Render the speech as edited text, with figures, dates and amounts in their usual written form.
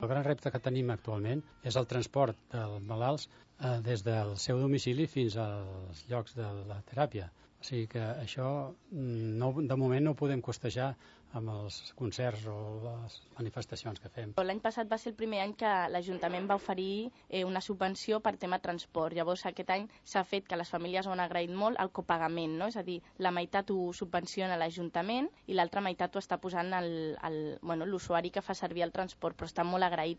El gran repte que tenim actualment és el transport dels malalts des del seu domicili fins als llocs de la teràpia. O sigui que això de moment no ho podem costejar amb els concerts o les manifestacions que fem. L'any passat va ser el primer any que l'Ajuntament va oferir una subvenció per tema transport. Llavors aquest any s'ha fet, que les famílies ho han agraït molt, el copagament, no? És a dir, la meitat ho subvenciona l'Ajuntament i l'altra meitat ho està posant l'usuari que fa servir el transport, però està molt agraït.